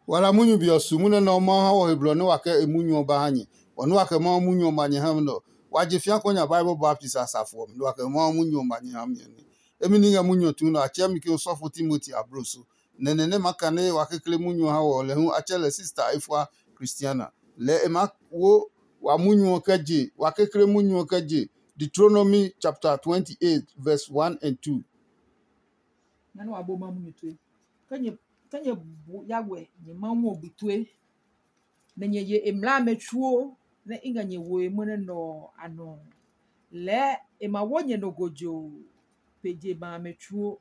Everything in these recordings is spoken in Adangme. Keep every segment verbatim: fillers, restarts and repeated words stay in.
Wa la munyu be ɔ su munyu nɛ Mawu ha wɔ he blɔ nɛ wa kɛ e munyu ɔ ba ha nyɛ. Wɔ nɛ wa kɛ Mawu munyu ɔ ma nyɛ ha nɛ ɔ, wa je fĩa kɔ nya Bible baptist a safo ɔ mi, nɛ wa kɛ Mawu munyu ɔ ma nyɛ ha mi ɔ nɛ. Emi ní ngɛ munyu ɔ tuu nɛ a tsɛɛ mi ke osɔfo Timoti ablo so. Nɛ nɛ nɛ ma kane wa kekle munyu ɔ ha wɔ ɔ, lɛ hu a tsɛ lɛ sista Efua Kristiana. Lɛɛ e maa wo wa munyu ɔ kɛ je, wa kekle munyu ɔ kɛ je Deuteronomy chapter twenty-eight verse one and two. Nana wa bo ma munyu tue. Ke nyɛ ke nyɛ bu ya wɛ nyɛ ma ŋɔ bu tue. Nɛ nyɛ ye e mlaa amɛ tsuo nɛ i ngɛ nyɛ woe mwɔnɛ nɔ ɔ a nɔ. Lɛɛ e ma wo nyɛ nɔ gojo pe je ma amɛ tsuo.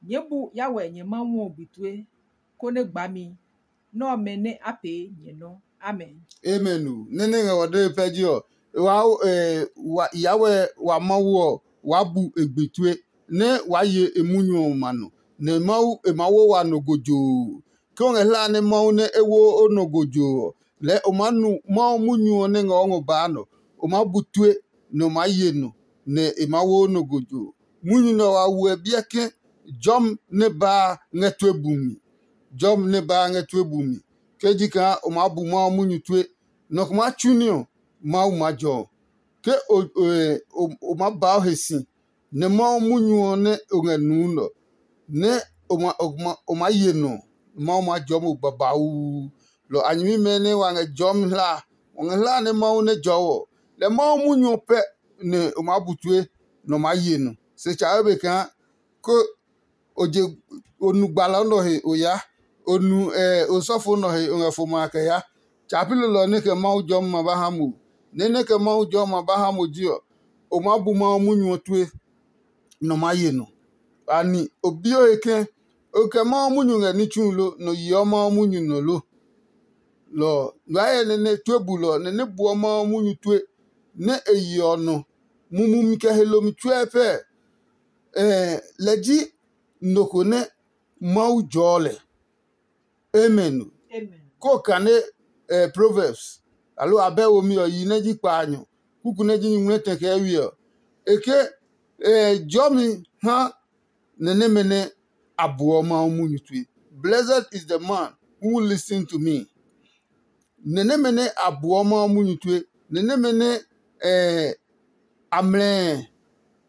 Nyɛɛ bu ya wɛ nyɛ ma ŋɔ bu tue, konɛ gbami nɛ ɔmɛ nɛ a pee nyɛ nɔ. Amen. Amen o. Nɛ́ nɛ ngɛ wɔ dee pɛ ji ɔ, wa eh, wa ya wɛ wa Mawu ɔ, waa bu e gbi tue, nɛ waa ye e munyu ɔ ma nɔ, nɛ Mawu e ma wo wa nɔ gojoo. Ke o ngɛ hlaa nɛ Mawu nɛ e wo o nɔ gojoo ɔ, lɛɛ o maa nu Mawu munyu ɔ nɛ ngɛ o ngɔ baa nɔ. O maa bu tue, nɛ o maa ye nɔ, nɛ e maa wo o nɔ gojoo. Munyu nɛ wa wuɛ biɛ ke jɔmi nɛ baa ngɛ tue bumi. Jɔmi nɛ baa ngɛ tue bumi. Ke ji kaa o maa bu Mawu munyu tue, nɔ ko maa tsu ní ɔ, Mawu maa jɔ ɔ. Ke o, o, o, o maa baa o he si, nɛ Mawu munyu ɔ nɛ o ngɛ nuu nɛ ɔ, nɛ o ma, o ma, o maa ye nɔ, Mawu maa jɔɔ mo babauu. Lɔ a nyɛmimɛ nɛ wa ngɛ jɔɔmi hlaa, wa ngɛ hlaa nɛ Mawu nɛ jɔɔ ɔ, lɛ Mawu munyu ɔ pɛ nɛ o maa bu tue, nɛ o maa ye nɔ. Se tsa be kaa ko o je o nu gbalɔ nɔ he o ya, o nu osɔfo nɔ he o ngɛ fo ma kɛ ya. Tsa pi lolɔ nɛ kɛ Mawu jɔmi ma ba ha mo. Nɛ nɛ kɛ Mawu jɔmi ma ba ha mo ji ɔ, o maa bu Mawu munyu ɔ tue, nɔ maa ye nɔ. Ani o bi o he ke o kɛ Mawu munyu ngɛ ní tsu lo, nɔ yeɔ Mawu munyu nɔ lo? Lɔ ɔ, ngmɛɛ nɛ nɛ tue bulɔ nɛ nɛ buɔ Mawu munyu tue nɛ e yeɔ nɔ mumumi kɛ he lomi tsuɛ pɛ. Lɛ ji nɔ ko nɛ Mawu jɔɔ lɛ. Amen. Ko kane Proverbs, aloo abɛ womi ɔ yi nɛ ji kpaanyɔ, kuku nɛ ji nyuŋmlɛtɛ kɛ wi ɔ, e ke jɔmi ha nɛ nɛmɛ nɛ a buɔ Mawu munyu tue. Blessed is the man who listen to me. Nɛ nɛmɛ nɛ a buɔ Mawu munyu tue, nɛ nɛmɛ nɛ a mlɛɛ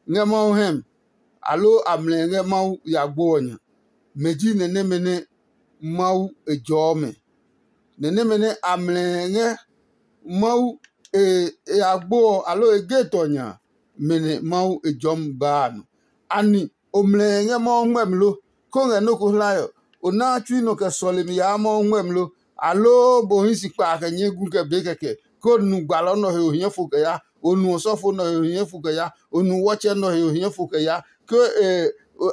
ngɛ Mawu hɛm, aloo a mlɛɛ ngɛ Mawu ya gbo ɔ nya. Mɛ ji nɛ nɛmɛ nɛ Mawu e jɔɔ mɛ. Nɛ nɛmɛ nɛ a mlɛɛ ngɛ Mawu e ya gbo ɔ, aloo e ge tɔ nya, mɛ nɛ Mawu e jɔɔ mi baa a nɔ. Ani o mlɛɛ ngɛ Mawu ngmɛmi lo? Ko ngɛ nɔ́ ko hlae ɔ, o naa tsui nɔ kɛ sɔlemi yaa Mawu ngmɛmi lo? Aloo mo hii si kpa kɛ nyɛɛ gu kɛ be kɛkɛ, ko nu gbalɔ nɔ he o hiɛ fo kɛ ya, o nu osɔfo nɔ he o hiɛ fo kɛ ya, o nu wɔtsɛ nɔ he o hiɛ fo kɛ ya, ke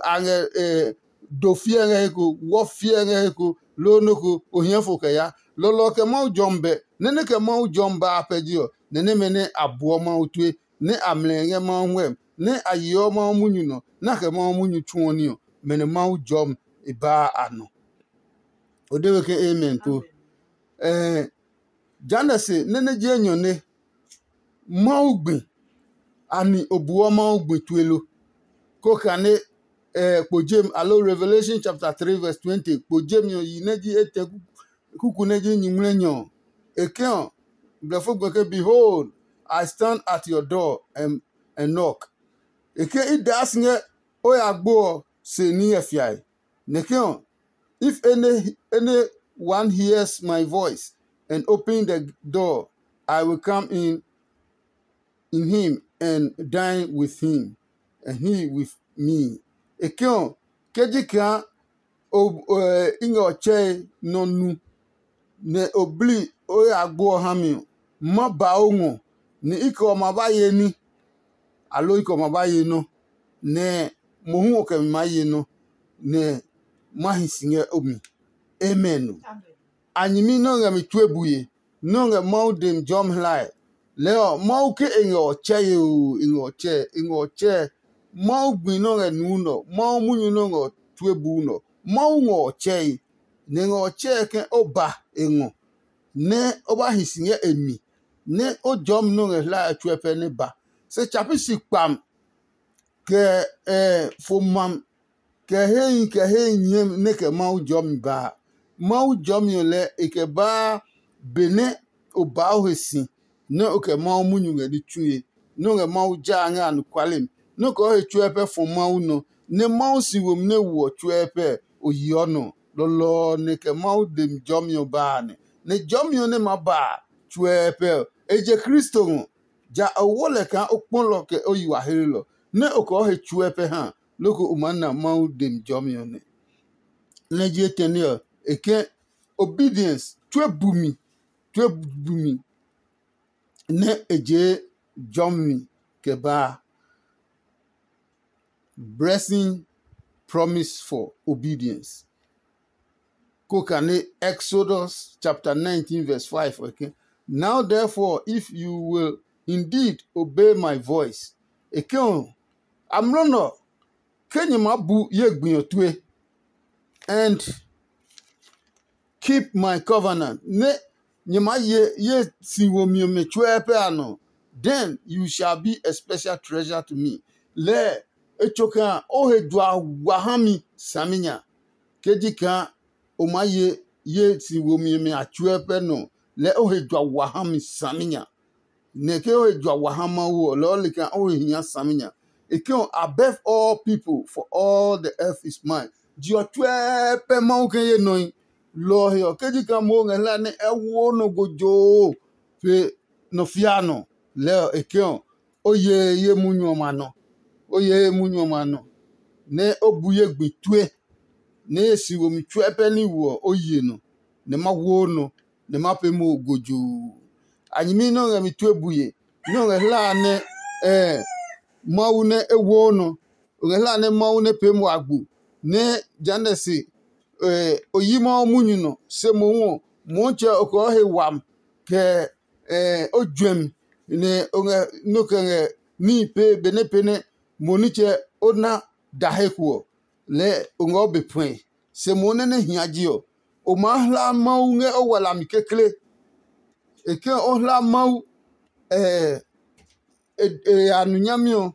a ngɛ do fiɛ ngɛ he ko, wɔ fiɛ ngɛ he ko, loo nɔ́ ko o hiɛ fo kɛ ya. Lɔlɔ kɛ Mawu jɔmi bɛ, nɛ nɛ kɛ Mawu jɔmi ba a pɛ ji ɔ, nɛ nɛmɛ nɛ a buɔ Mawu tue, nɛ a mlɛ ngɛ Mawu ngmɛmi, nɛ a yeɔ Mawu munyu nɔ, nɛ a kɛ Mawu munyu tsuɔ ní ɔ, mɛ nɛ Mawu jɔmi e baa a nɔ. O de we ke amen po. Ɛɛ, jehanɛ se nɛ nɛ ji enyɔ nɛ Mawu gbi, ani o buɔ Mawu gbi tue lo? Ko kane ɛɛ kpo jem alo Revelation chapter three verse twenty kpo jem ɔ yi nɛ ji etɛ kuku nɛ ji nyingmlɛnyɔ ɔ. E ke ɔ, blɛfo gbe ke, "Behold, I stand at your door and, and knock." E ke i daa si ngɛ o ya gbo ɔ se ní ngɛ fiae. Nɛ ke ɔ, if any any one hears my voice and open the door, I will come in in him and dine with him and he with me. E ke ɔ, ke ji kaa i ngɛ ɔ tsɛe nɔ nu, nɛ o bli o ya gbo ɔ ha mi ɔ, ma ba o ngɔ, nɛ i kɛ ɔ ma ba ye ní, aloo i kɛ ɔ ma ba ye nɔ, nɛ mohu ɔ kɛ mi maa ye nɔ, nɛ ma hi si ngɛ o mi. Amen. A nyɛmi nɛ o ngɛ mi tue bue, nɛ o ngɛ Mawu demi jɔmi hlae. Lɛɛ ɔ, Mawu ke e ngɛ ɔ tsɛe oo, e ngɛ ɔ tsɛe, e ngɛ ɔ tsɛe. Mawu gbi nɛ o ngɛ nuu nɔ, Mawu munyu nɛ o ngɛ tue buu nɔ. Mawu ngɛ ɔ tsɛe, nɛ e ngɛ ɔ tsɛe ke o ba e ngɔ, nɛ o ba hi si ngɛ e mi, nɛ o jɔmi nɛ o ngɛ hlae tsuɛ pɛ nɛ ba. Se tsa pi si kpam kɛ fo mam kɛ hehi kɛ hehi nyɛmi nɛ kɛ Mawu jɔmi ba a. Mawu jɔmi ɔ lɛɛ e kɛ baa benɛ o baa o he si nɛ o kɛ Mawu munyu ngɛ ní tsue, nɛ o ngɛ Mawu jaa ngɛ anɔkuale mi, nɛ o kɛ o he tsuɛ pɛ fɔ Mawu nɔ, nɛ Mawu si womi nɛ woɔ tsuɛ pɛ o yeɔ nɔ. Lɔlɔ ɔ nɛ kɛ Mawu demi jɔmi ɔ ba a nɛ. Nɛ jɔmi ɔ nɛ maa ba a tsuɛ pɛ ɔ, e je Kristo ngɔ. Ja o wo lɛ kaa o kpɔlɔ kɛ o yi wa hlelɔ, nɛ o kɛ o he tsuɛ pɛ ha, loko o maa na Mawu demi jɔmi ɔ nɛ. Nɛ je etɛne ɔ, e ke obedience tue bumi, tue bumi nɛ e je jɔmi kɛ baa. Blessing promise for obedience. Ko kane Exodus chapter nineteen verse five ɔ ke, "Now therefore, if you will indeed obey my voice," e ke ɔ, amlɔ nɔ ke nyɛ maa bu ye gbi ɔ tue, and keep my covenant, nɛ nyɛ maa ye ye si womi ɔmɛ tsuɛ pɛ a nɔ, then you shall be a special treasure to me. Lɛɛ e tso kaa o he jua wa ha mi saminya. Ke ji kaa o maa ye ye si womi ɔmɛ a tsuɛ pɛ nɔ, lɛɛ o he jua wa ha mi saminya. Nɛ ke o he jua wa ha Mawu ɔ, lɔɔ li kaa o he hia saminya. E ke ɔ, "Above all people, for all the earth is mine." Je ɔ tsuɛ pɛ Mawu ke ye nɔe. Lɔ ɔ he ɔ, ke ji kaa mo ngɛ hlae nɛ ɛ wo nɔ gojoo pe nɔ fia nɔ, lɛɛ ɔ, e ke ɔ, o ye ye munyu ɔmɛ a nɔ. O ye ye munyu ɔmɛ a nɔ, nɛ o bu ye gbi tue, nɛ ye si womi tsuɛ pɛ ní wo ɔ, o ye nɔ, nɛ ma wo nɔ, nɛ ma pee mo gojoo. A nyɛmi nɛ o ngɛ mi tue bue, nɛ o ngɛ hlaa nɛ Mawu nɛ e woo nɔ. O ngɛ hlaa nɛ Mawu nɛ pee mo agbo, nɛ jehanɛ se o yi Mawu munyu nɔ. Se mohu ɔ, Motsɛ ɔ, o kɛ o he wami kɛ o juɛmi, nɛ o ngɛ nɔ kɛ ngɛ níhi pee benɛ pee nɛ mo nitsɛ o na da he ko ɔ, lɛɛ o ngɛ o be puɛe. Se mohu nɛ nɛ hia je ɔ, o maa hla Mawu ngɛ o walami kekle. E ke o hla Mawu e ya nu nyami ɔ,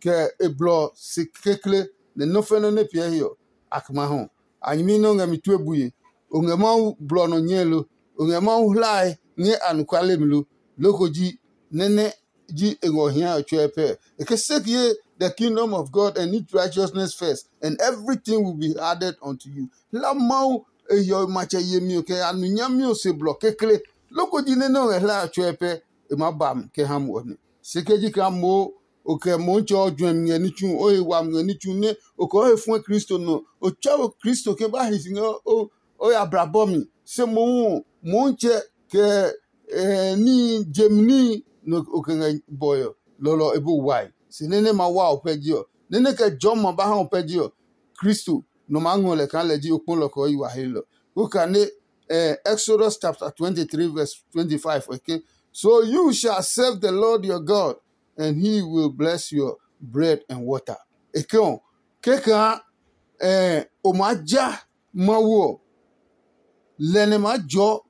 kɛ e blɔ si kekle, nɛ nɔ́ fɛnɛ nɛ piɛ he ɔ, a kma hɔ. A nyɛmi nɛ o ngɛ mi tue bue. O ngɛ Mawu blɔ nɔ nyɛe lo? O ngɛ Mawu hlae ngɛ anɔkuale mi lo? Loko ji nɛ nɛ ji e ngɔ hia ɔ tsuɛ pɛ. E ke, "Seek ye the kingdom of God and its righteousness first, and everything will be added unto you." Hla Mawu e hiɔwe matsɛ yemi ɔ kɛ ya nu nyami ɔ se blɔ kekle. Loko ji nɛ nɛ o ngɛ hlae ɔ tsuɛ pɛ, e maa ba mi kɛ ha mo ɔ nɛ. Se ke ji kaa moo o kɛ Motsɛ ɔ juɛmi ngɛ ní tsu, o he wami ngɛ ní tsu, nɛ o kɛ o he fuɛ Kristo nɔ, o tsɛ o Kristo ke ba hi si ngɛ o ya bla bɔ mi. Se mohu ɔ, Motsɛ kɛ níhi jemi níhi nɛ o kɛ ngɛ bɔe ɔ, lɔlɔ e bu wai. Se nɛ nɛ ma wa o pɛ ji ɔ, nɛ nɛ kɛ jɔmi ma ba ha o pɛ ji ɔ, Kristo nɔ maa ngɔ lɛ kaa lɛ ji o kpɔlɔ kɛ o yi wa he lɔ. Ko kane Exodus chapter twenty-three verse twenty-five ɔ ke, "So you shall serve the Lord your God, and he will bless your bread and water." E ke ɔ, kɛkaa o maa ja Mawu ɔ, lɛ nɛ maa jɔɔ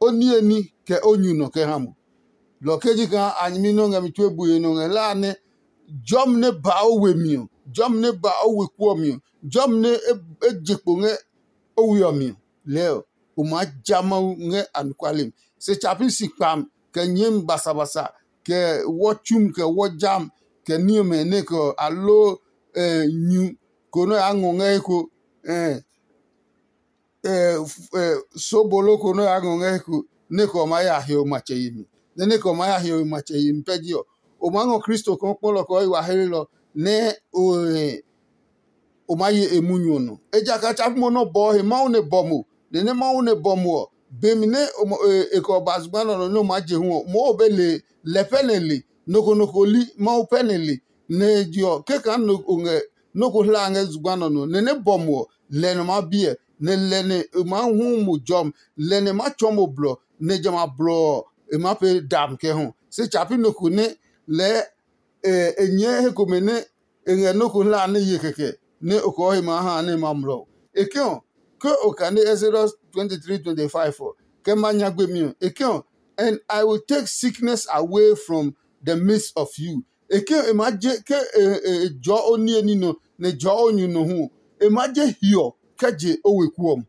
o niye ní kɛ o nyu nɔ kɛ ha mo. Lɔ ke ji kaa a nyɛmi nɛ o ngɛ mi tue bue nɔ ngɛ hlaa nɛ jɔmi nɛ ba o we mi ɔ, jɔmi nɛ ba o weku ɔ mi ɔ, jɔmi nɛ e je kpo ngɛ o we ɔ mi ɔ, lɛɛ ɔ, o maa ja Mawu ngɛ anɔkuale mi. Se tsa pi si kpami kɛ nyɛɛmi basabasa, kɛ wɔ tsumi, kɛ wɔ jami, kɛ ní ɔmɛ nɛ kɛ ɔ, aloo nyu ko nɛ o yaa ngɔ ngɛ he ko, sobolo ko nɛ o yaa ngɔ ngɛ he ko, nɛ kɛ ɔ maa ya hiɔwe matsɛ yemi. Nɛ nɛ kɛ ɔ maa ya hiɔwe matsɛ yemi pɛ ji ɔ, o maa ngɔ Kristo kaa kpɔlɔ kɛ o yi wa hlelɔ nɛ o o maa ye e munyu ɔ nɔ. Ejakaa tsa pi mo nɛ o bɔɔ he Mawu nɛ bɔ mo, nɛ nɛ Mawu nɛ bɔ mo ɔ, be mi nɛ e kɛ ɔ ba zugba nɛ ɔ nɔ nɛ o maa je hu ɔ, moo o be le lɛ pɛ nɛ le, nɔ ko nɔ ko li Mawu pɛ nɛ le. Nɛ e je ɔ, kɛkaa nɔ ko ngɛ nɔ ko hla ngɛ zugba nɛ ɔ nɔ, nɛ nɛ bɔ mo ɔ, lɛ nɔ maa biɛ, nɛ lɛ nɛ e maa hu mo jɔmi, lɛ nɛ e maa tsɔɔ mo blɔ, nɛ jamɛ a blɔ ɔ, e maa pee dami kɛ hɔ. Se tsa pi nɔ ko nɛ lɛɛ e nyɛɛ he komɛ nɛ e ngɛ nɔ́ ko hla nɛ ye kɛkɛ nɛ o kɔɔ he maa ha nɛ e ma mlɔ. E ke ɔ, ke o kane Exodus twenty-three twenty-five ɔ, kɛ ma nyagbe mi ɔ, e ke ɔ, "And I will take sickness away from the midst of you." E ke ɔ, e maa je ke e jɔɔ o niye ní nɔ, nɛ e jɔɔ o nyu nɔ hu ɔ, e maa je hiɔ kɛ je o weku ɔ mi.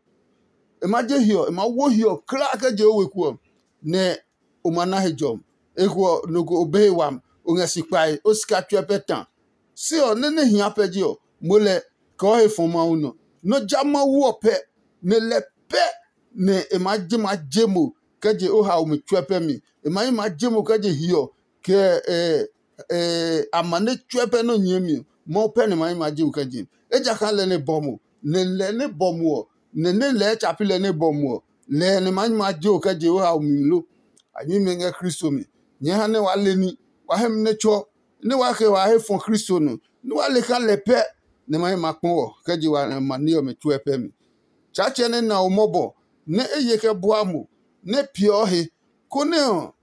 e ma je hiɔ, e ma wo hiɔ klaa kɛ je o weku ɔ, nɛ o ma na he jɔmi. Eko ɔ, nɔ ko o be he wami, o ngɛ si kpae, o sika tsuɛ pɛ ta. Se ɔ, nɛ nɛ hia pɛ je ɔ, mo lɛ kɛ o he fɔ Mawu nɔ. Nɔ ja Mawu ɔ pɛ, nɛ lɛ pɛ nɛ e maa je maa je mo kɛ je o haomi tsuɛ pɛ mi. E ma yi maa je mo kɛ je hiɔ kɛ amane tsuɛ pɛ nɔ nyɛɛ mi ɔ, Mawu pɛ nɛ ma yi maa je mo kɛ je. Ejakaa lɛ nɛ bɔ mo, nɛ lɛ nɛ bɔ mo ɔ, nɛ nɛ lɛɛ tsa pi lɛ nɛ bɔ mo ɔ, lɛ nɛ ma yi maa je o kɛ je o haomi lo. A nyɛmimɛ ngɛ Kristo mi. Nyɛɛ ha nɛ waa le ní, waa hɛ mi nɛ tsɔ, nɛ waa kɛ waa he fɔ Kristo nɔ, nɛ waa le kaa lɛ pɛ nɛ ma hɛ ma kpɔ wɔ kɛ je wa ma ní ɔmɛ tsuɛ pɛ mi. Tsaatsɛ nɛ na o mɔbɔ, nɛ e ye kɛ bua mo, nɛ peeɔ he, konɛ ɔ,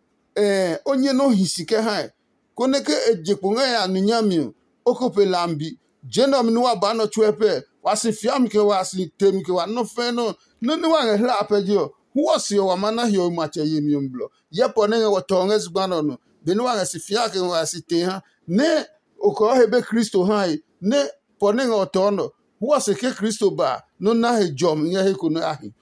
o nyɛ nɔ hi si kɛ hae, konɛ ke e je kpo ngɛ ya nu nyami ɔ, o ko pe lambi. Je nɛ ɔmɛ nɛ wa ba nɔ tsuɛ pɛ, wa si fiami kɛ wa si temi kɛ wa nɔ fɛ̃ nɔ. Nɔ́ nɛ wa ngɛ hla a pɛ je ɔ, hu ɔ se ɔ wa ma na hiɔwe matsɛ yemi ɔ mi blɔ. Yɛ pɔ nɛ ngɛ wɔ tɔ ngɛ zugba nɛ ɔ nɔ, benɛ wa ngɛ si fia kɛ wa si tee ha, nɛ o kɔɔ he be Kristo hae, nɛ pɔ nɛ ngɛ ɔ tɔɔ nɔ, hu ɔ se ke Kristo ba a, nɔ́ na he jɔmi ngɛ he ko nɛ a hi.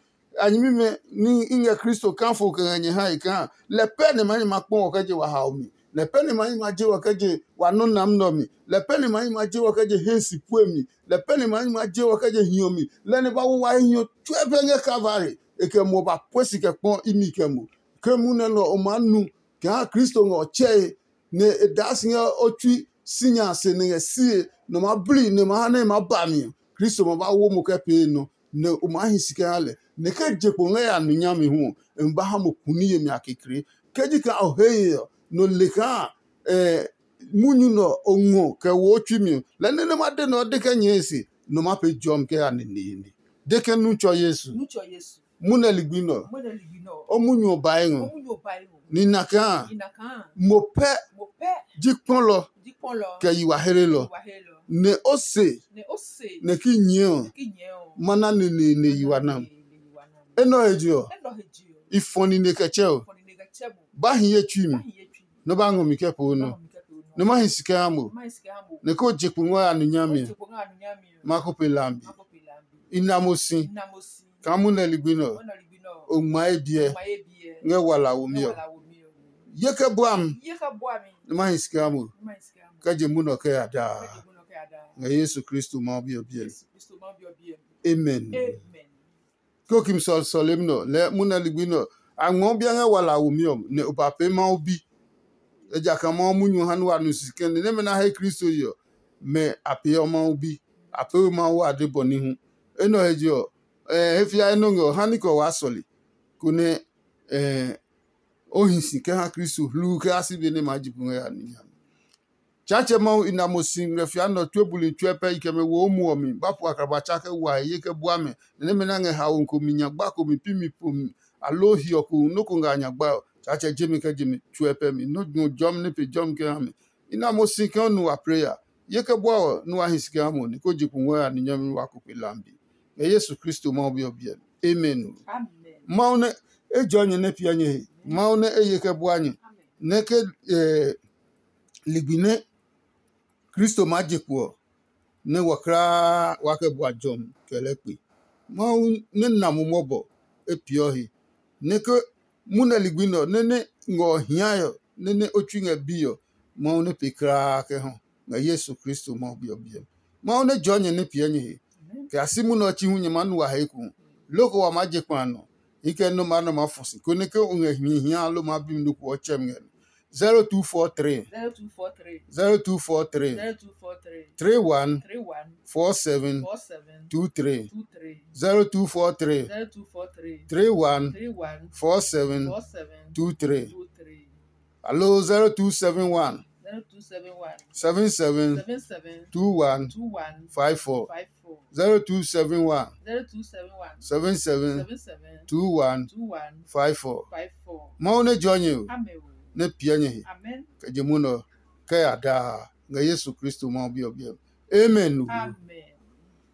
A nyɛmimɛ ní i ngɛ Kristo kafo kɛ ngɛ nyɛ hae kaa lɛ pɛ nɛ ma nyɛ ma kpɔ wɔ kɛ je wa hao mi, lɛ pɛ nɛ ma nyɛ ma je wɔ kɛ je wa nɔ́ nam nɛ ɔ mi, lɛ pɛ nɛ ma nyɛ ma je wɔ kɛ je hɛ si pue mi, lɛ pɛ nɛ ma nyɛ ma je wɔ kɛ je hiɔ mi, lɛ nɛ ba wo wa he hiɔ tsuɛ pɛ ngɛ Kalvari. E kɛ muɔ ba pue si kɛ kpɔ imi kɛ mo. Ke munɛ nɛ ɔ maa nu kaa Kristo ngɛ ɔ tsɛe, nɛ e daa si ngɛ o tsui sinya a se nɛ ngɛ sie nɔ maa bli nɛ ma ha nɛ e maa ba mi ɔ, Kristo ma ba wo mo kɛ pee nɔ, nɛ o maa hi si kɛ ha lɛ. Nɛ ke je kpo ngɛ ya nu nyami hu ɔ, e ma ba ha mo kuni yemi a kekle. Ke ji kaa o he ye ɔ, nɔ le kaa munyu nɛ o ngɔ kɛ wo o tsui mi ɔ, lɛ nɛ nɛ ma de nɛ ɔ de kɛ nyɛɛ e se, nɔ ma pee jɔmi kɛ ya neneene. De ke nu tsɔ Yesu. Munɛ ligbi nɛ ɔ, o munyu ɔ bae ngɔ. Ni na kaa mo pɛ ji kpɔlɔ kɛ yi wa hlelɔ. Nɛ o se nɛ ki nyɛɛ ɔ, ma na neneene yi wa nam. Enɛ ɔ he je ɔ, i fɔ nine kɛ tsɛ o. Ba hi ye tsui mi, nɛ o ba ngɔ mi kɛ poo nɔ, nɛ ma hi si kɛ ha mo, nɛ ko je kpo ngɔ ya nu nyami ɔ, ma ko pe lambi. I na mo si kaa munɛ ligbi nɛ ɔ, o ngma ye biɛ ngɛ wala womi ɔ. Ye kɛ bua mi, nɛ ma hi si kɛ ha mo, kɛ je munɛ ɔ kɛ ya daa. Ngɛ Yesu Kristo Mawu Bi ɔ biɛ mi. Amen. Ke o kimi sɔlemi nɛ ɔ, lɛɛ munɛ ligbi nɛ ɔ, a ngmɔɔ biɛ ngɛ wala womi ɔ, nɛ o ba pee Mawu bi. Ejakaa Mawu munyu ɔ ha nɛ wa nu si kɛ̃ nɛ nɛmɛ nɛ a he Kristo ye ɔ, mɛ a peeɔ Mawu bi. A pee we Mawu ade bɔ ní hu. Enɛ ɔ he je ɔ, he fiae nɔ́ ngɛ ɔ, ha ní kɛ o waa sɔle, konɛ o hi si kɛ ha Kristo hluu kɛ ha si be nɛ maa ji pu ngɛ ya ní nya. Tsaatsɛ Mawu i na mo si ngɛ fia nɛ ɔ tue buli tsuɛ pɛ i kɛ mɛ wo o muɔ mi, ba pu akraba tsa kɛ wa he ye kɛ bua mɛ, nɛ nɛmɛ nɛ a ngɛ haomi ko mi nyagba ko mi pi mi po mi, aloo hiɔ ko nɔ́ ko ngɛ a nyagba ɔ, Tsaatsɛ je mi kɛ je mi tsuɛ pɛ mi, nɔ́ ngɔ jɔmi nɛ pe jɔmi kɛ ha mi. I na mo si kaa o nu wa preya. Ye kɛ bua ɔ nɛ wa hi si kɛ ha mo, nɛ ko je kungwɔ ya ni nyɛmi wa ko pe lambi. Ngɛ Yesu Kristo Mawu Bi ɔ biɛ mi. Amen. Mawu nɛ e jɔ nyɛ nɛ piɛ nyɛ he. Mawu nɛ e ye kɛ bua nyɛ. Nɛ ke ligbi nɛ Kristo maa je kpo ɔ, nɛ wɔ kulaa wa kɛ bua jɔmi kɛ lɛɛ kpe. Mawu nɛ na mo mɔbɔ e peeɔ he, nɛ ke munɛ ligbi nɛ ɔ nɛ nɛ ngɔ ɔ hiae ɔ, nɛ nɛ o tsui ngɛ bii ɔ, Mawu nɛ pee kulaa kɛ hɔ ngɛ Yesu Kristo Mawu Bi ɔ biɛ mi. Mawu nɛ jɔɔ nyɛ nɛ piɛ nyɛ he, kɛ ya si munɛ ɔ tsi hu nyɛ maa nu wa he eko. Loko wa maa je kpa a nɔ, i kɛ nɔ́ maa nɔ maa fɔ si, konɛ ke o ngɛ hii hia lo maa bi mi nɔ ko ɔ tsɛ mi ngɛ nɔ. zero two four three zero two four three zero two four three zero two four three three one three one four seven four seven two three two three zero two four three zero two four three three one three one four seven four seven two three two three Hello, zero two seven one zero two seven one seven seven seven seven two one two one five four five four zero two seven one zero two seven one seven seven seven seven two one two one five four five four. Mawu nɛ jɔ nyɛ o, Amen. Nɛ piɛ nyɛ he. Amen. Kɛ je munɔ kɛ ya daa ngɛ Yesu Kristo Mawu Bi ɔ biɛ. Amen. Amen.